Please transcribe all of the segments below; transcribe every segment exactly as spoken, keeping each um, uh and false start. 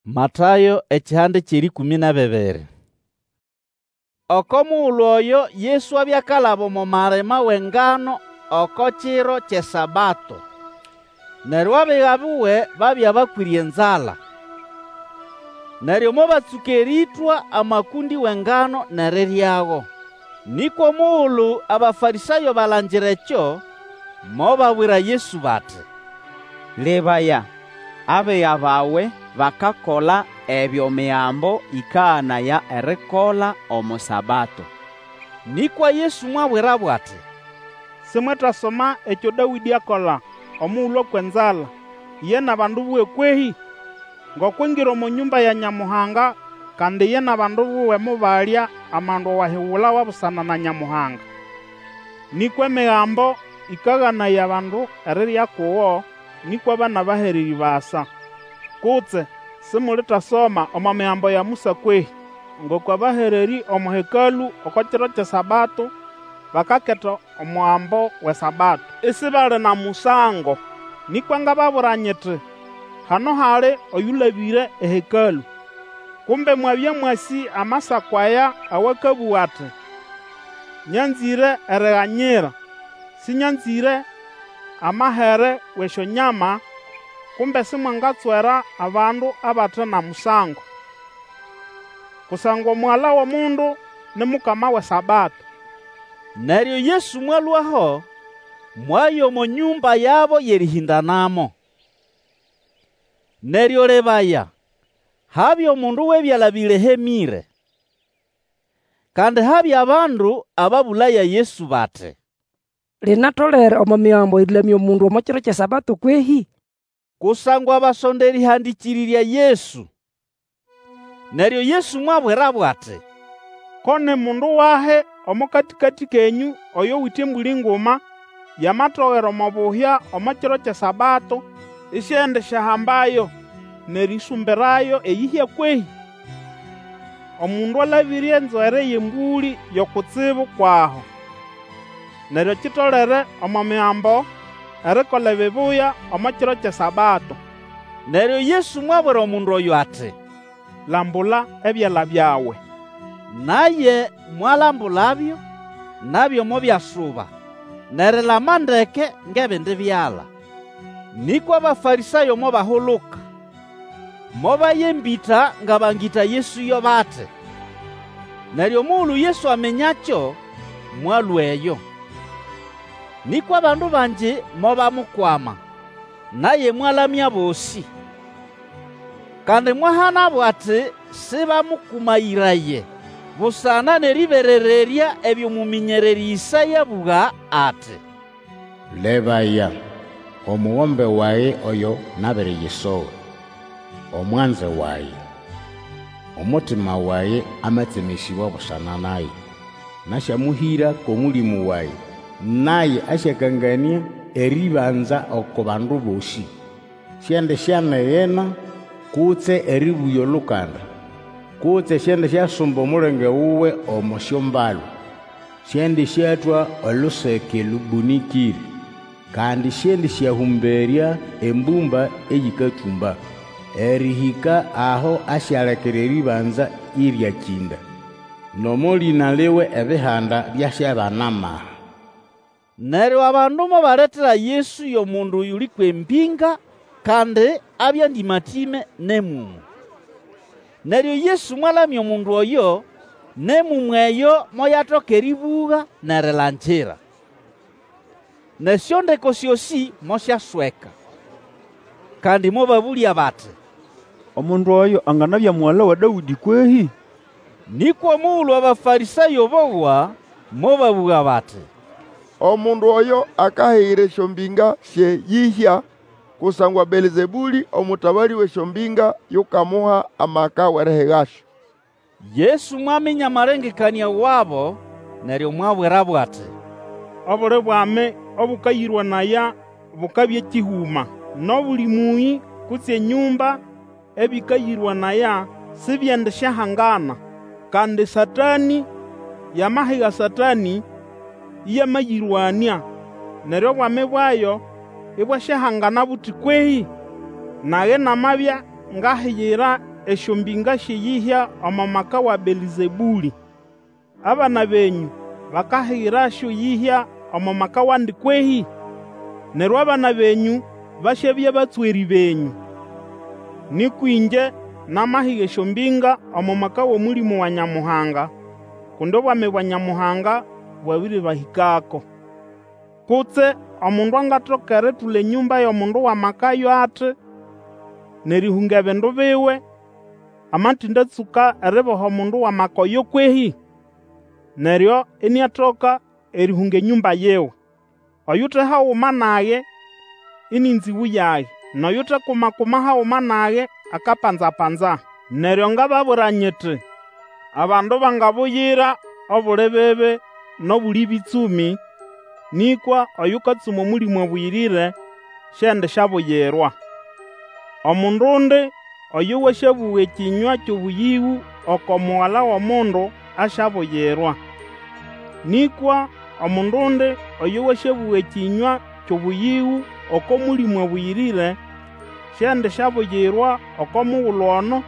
Matayo ekihanda ky'erĩkũmĩ n'ebibiri. Oko mugulu oyo Yesu abya akalaba omo malima w'engano oko kiro ky'eSabato. Neryo abiga buwe babya bakwĩre enzala. Neryo mobatsũka erĩtwa amakũndĩ w'engano n'eriryago. Nĩkwa omugulu Abafarĩsayo balangira ekyo, mobabwira Yesu bati, Lebaya, abiga bawe bakakola ebyo Migambo ĩkaganaya erikola omo Sabato. Nĩkwa Yesu mwabwirabo ati, Simwetasoma ekyo Dawĩdĩ akola omugulu akwa enzala, iye n'abandu buwe kwehĩ? Ngoko angira omo nyũmba ya Nyamuhanga, kandi iye n'abandu buwe mobalya amandu awahigulawa busana na Nyamuhanga. Nĩkwa Emigambo ĩkaganaya abandu erirya kugo, nĩkwa ba n'abahererĩ basa. Kutse simulitasoma omo Migambo ya Musa kwehĩ? Ngoko abahererĩ omo Hekalũ oko kiro ky'eSabato bakaketa omugambo w'eSabato, isibali na musango. Nĩkwa ngababwira nyiti, Hano hali oyũlabĩre eHekalũ. Kumbe mwabya mwasĩ Amasako aya awakabũga ati, Nyanzĩre eriganyira, sĩnyanzĩre amahere w'esyonyama, kumbe simwangatswera abandu abate na musango. Kusangwa Omugala w'Omundu ni Mukama w'eSabato. Neryo Yesu mwalũaho, mwaya omo nyũmba yabo y'erĩhĩndanamo. Neryo lebaya, habya omundu w'ebyala bĩlehemĩre. Kandi habya abandu ababũlaya Yesu bati, Linatolere omo Migambo erĩlamya omundu omo kiro ky'eSabato kwehĩ? Kusangwa basonda erĩhandĩkĩrĩrya Yesu. Neryo Yesu mwabwirabo ati, Ko ni mundu wahi omo katĩkatĩ kenyũ oyowite embũlĩ nguma, yamatogera omo buhya omo kiro ky'eSabato, isiendisyahambayo n'erĩsũmbirayo eyĩhya kwehĩ? Omundu alabĩre enzwere y'embũlĩ yo kutsibu kw'aho. Neryo kitolere omo Migambo erikola ebibuya omo kiro ky'eSabato. Neryo Yesu mwabwira omundu oyo ati, Lambula ebyala byawe. Naye mwalambulabyo, nabyo mobyasuba, n'erilama ndeke ng'ebindi byala. Nĩkwa Abafarĩsayo mobahuluka, mobaya embĩta nga bangĩta Yesu yo bati. Neryo omugulu Yesu aminyakyo, mwalũa eyo. Nĩkwa abandu bangi mobamukwama, naye mwalamya abosĩ. Kandi mwahanabo ati sĩbamũkũmayĩraye, busana n'erĩberererya ebyo mũmĩnyererĩ Ĩsaya abũga ati, Lebaya, omugombe wage oyo nabiriyisoga, Omwanze wage. Omutima wage amatsemesĩbwa busana naye. Nasyamũhĩra k'Omũlĩmũ wage, Naye asyakanganĩa erĩbanza oko bandu bosĩ. Siendisyanigina kutse erĩbũya olukanda, Kutse siendisyasumba omulenge wuwe omo syombalu. Siendĩsyatwa oluseke lũbũnĩkĩre, Kandi siendĩsyahũmberya embũmba eyĩkatũmba, Erĩhĩka aho asyalekera erĩbanza ĩryakĩnda, N'omo lĩna liwe Ebihanda byasyabana amaha. Neryo abandu mobaletera Yesu y'omundu oyuli kw'embĩnga, kandi abya ndĩmatĩme n'emũmũ. Neryo Yesu mwalamya omundu oyo, n'emũmũ eyo moyatoka erĩbũga n'erilangira. N'esyondeko syosĩ mosyasweka. Kandi mobabũlya bati, Omundu oyo anganabya mugala wa Dawĩdĩ kwehĩ? Nĩkwa omugulu Abafarĩsayo bowa, mobabũga bati, Omundu oyo akahigira esyombĩnga sy'eyĩhya, kusangwa Belzebũlĩ, omũtabalĩ w'esyombĩnga, yukamuha amaka w'erihigasyo. Yesu mwaminya amalengekanĩa wabo, neryo mwabwirabo ati, Obuli bwami obũkayĩrwanaya bukabya kĩhũma, n'obuli mũyĩ kutse enyũmba ebĩkayĩrwanaya sibyendisyahangana. Kandi Satanĩ yamahiga Satanĩ, ĩyamayĩrwanĩa, neryo obwami bwayo ibwasyahangana buti kwehĩ? Nage namabya ngahigira esyombĩnga sy'eyĩhya omo maka wa Belzebũlĩ. Abana benyũ bakahigirasyo eyĩhya omo maka wandi kwehĩ? Neryo abana benyũ basyabya batswerĩ benyũ. Nĩkwa ĩngye namahiga esyombĩnga omo maka w'Omũlĩmũ wa Nyamuhanga, kundi obwami bwa Nyamuhanga bwabĩrĩbahĩkako. Kutse omundu angatoka eritula enyũmba y'omundu w'amaka ayo ati, n'erĩhũnga ebindu biwe, amatĩndatsũka eriboha omundu w'amaka oyo kwehĩ? Neryo iniatoka erĩhũnga enyũmba yiwe. Oyute haguma nage ini nzĩgũ yage, n'oyutekuma-kuma haguma nage akapanza-panza. Neryo ngababwira nyiti, Abandu bangabuyira obuli bibi n'obuli bĩtsũmĩ, nĩkwa oyũkatsuma Omũlĩmũ Abũyĩrĩre siendisyabuyirwa. Omundundi oyo wasyabũga ekĩnywa ky'obũyĩgũ oko Mugala w'Omundu asyabuyirwa. Nĩkwa omundundi oyo wasyabũga ekĩnywa ky'obũyĩgũ oko Mũlĩmũ Abũyĩrĩre, siendisyabuyirwa oko mugulu ono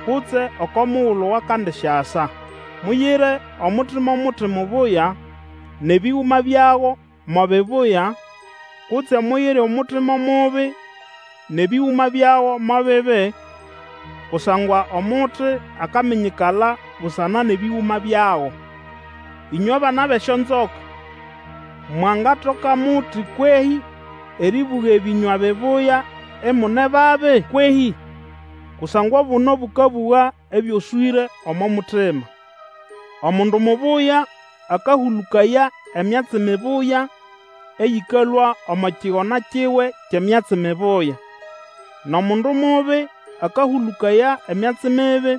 kutse oko mugulu wakandisyasa. Muyire omuti mo muti mubuya, n'ebĩgũma byago mo bibuya, kutse muyire omuti mo mubi, n'ebĩgũma byago mo bibi, kusangwa omuti akaminyikala busana n'ebĩgũma byago. Ĩnywe bana b'esyonzoka, mwangatoka muti kwehĩ erĩbũga ebĩnywa bibuya imune babi kwehĩ? Kusangwa obuno bũkabũga ebyoswĩre omo mutima. Omundu mubuya akahũlũkaya emyatsi mibuya eyĩkalũa omo kigona kiwe ky'emyatsi mibuya, n'omundu mubi akahũlũkaya emyatsi mibi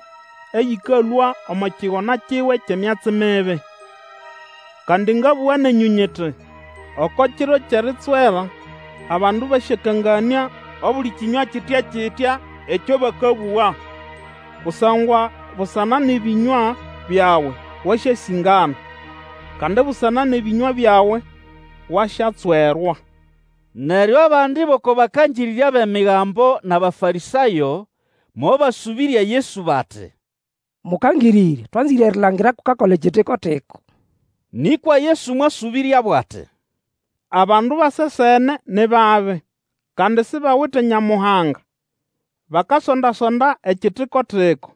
eyĩkalũa omo kigona kiwe ky'emyatsi mibi. Kandi ngabũga nenyũ nyiti, Oko kiro ky'eritswera abandu basyakanganĩa obuli kĩnywa kitya-kitya ekyo bakabũga. Kusangwa busana n'ebĩnywa byawe wasyasĩngana, kandi busana n'ebĩnywa byawe wasyatswerwa. Neryo abandi b'oko bakangĩrĩrya b'Emigambo n'Abafarĩsayo mobasũbĩrya Yesu bati, Mũkangĩrĩrya, twanzĩre erilangira k'ukakola ekitiko-tiko. Nĩkwa Yesu mwasũbĩryabo ati, Abandu basesene ni babi, kandi sibawite Nyamuhanga. Bakasonda-sonda ekitiko-tiko.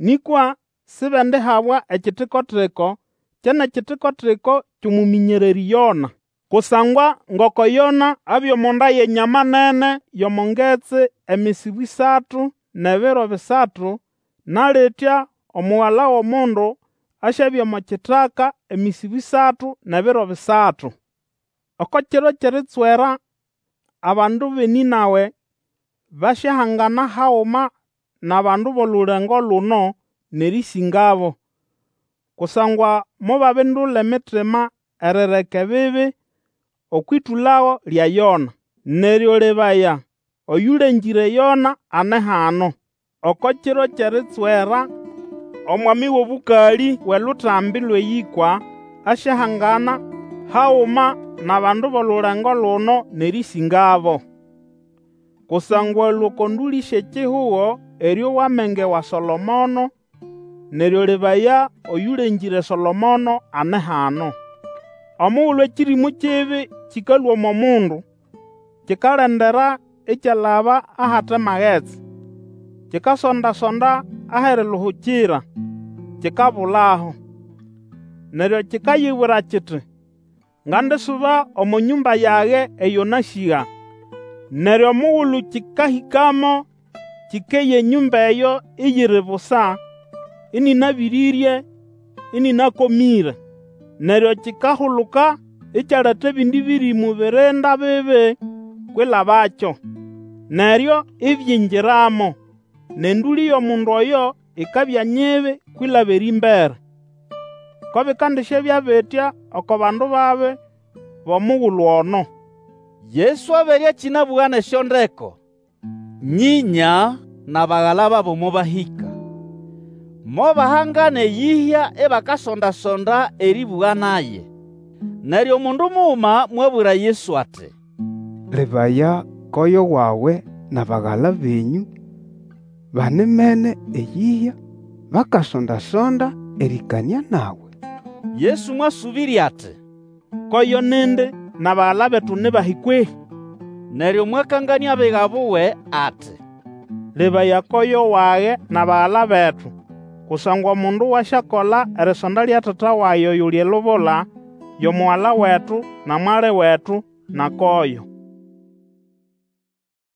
Nĩkwa sibendihabwa ekitiko-tiko, ke n'ekitiko-tiko ky'omũmĩnyererĩ Yona. Kusangwa ngoko Yona abya omo nda y'enyama nene y'omo ngetsi emisibu ĩsatu n'ebiro bisatu, na litya Omugala w'Omundu asyabya omo kitaka emisibu ĩsatu n'ebiro bisatu. Oko kiro ky'eritswera abandu b'eNĩnawe basyahangana haguma n'abandu b'olulengo luno n'erĩsĩngabo, kusangwa mobabindula emitima erireka ebibi okw'ĩtũlago lya Yona. Neryo lebaya, oyũlengĩre Yona ane hano. Oko kiro ky'eritswera omwami w'obũkalĩ w'eLutambi lw'Eyĩkwa asyahangana haguma n'abandu b'olulengo luno n'erĩsĩngabo. Kusangwa alũa oko ndũlĩ sy'ekihugo erĩowa amenge wa Solomono, neryo lebaya, oyũlengĩre Solomono ane hano. Omugulu ekĩrĩmũ kibi kĩkalũa omo mundu, kikalendera ikyalaba ahate magetsi. Kikasonda-sonda ah'eriluhukira, kikabulaho. Neryo kikayibwira kiti, Ngandisuba omo nyũmba yage eyo nasĩga. Neryo omugulu kĩkahĩkamo, kĩkeya enyũmba eyo iyiri busa, ĩnĩnabĩrĩrye, ĩnĩnakomĩre. Neryo kikahuluka ikyaleta ebindi bĩrĩmũ birinda bibi kwilabakyo, neryo ibyingiramo, n'endũlĩ y'omundu oyo ikabya nyibi kwilaba erĩmbere. Ko bikandisyabya bitya oko bandu babi b'omugulu ono. Yesu abere akĩnabũga n'esyondeko, nyĩnya n'abagala babo mobahĩka. Mobahangana eyĩhya ibakasonda-sonda erĩbũga naye. Neryo omundu muguma mwabwira Yesu ati, Lebaya, koyo wawe n'abagala benyũ banimene eyĩhya, bakasonda-sonda erĩkanĩa nawe. Yesu mwasũbĩrya ati, Koyo nindi, n'abagala betu ni bahi kwehĩ? Neryo mwakanganĩa abiga buwe ati, Lebaya koyo wage n'abagala betu. Kusangwa omundu wasyakola erisonda lya Tata wage oyuli elubula, yo mugala wetu, na mwali wetu, na koyo.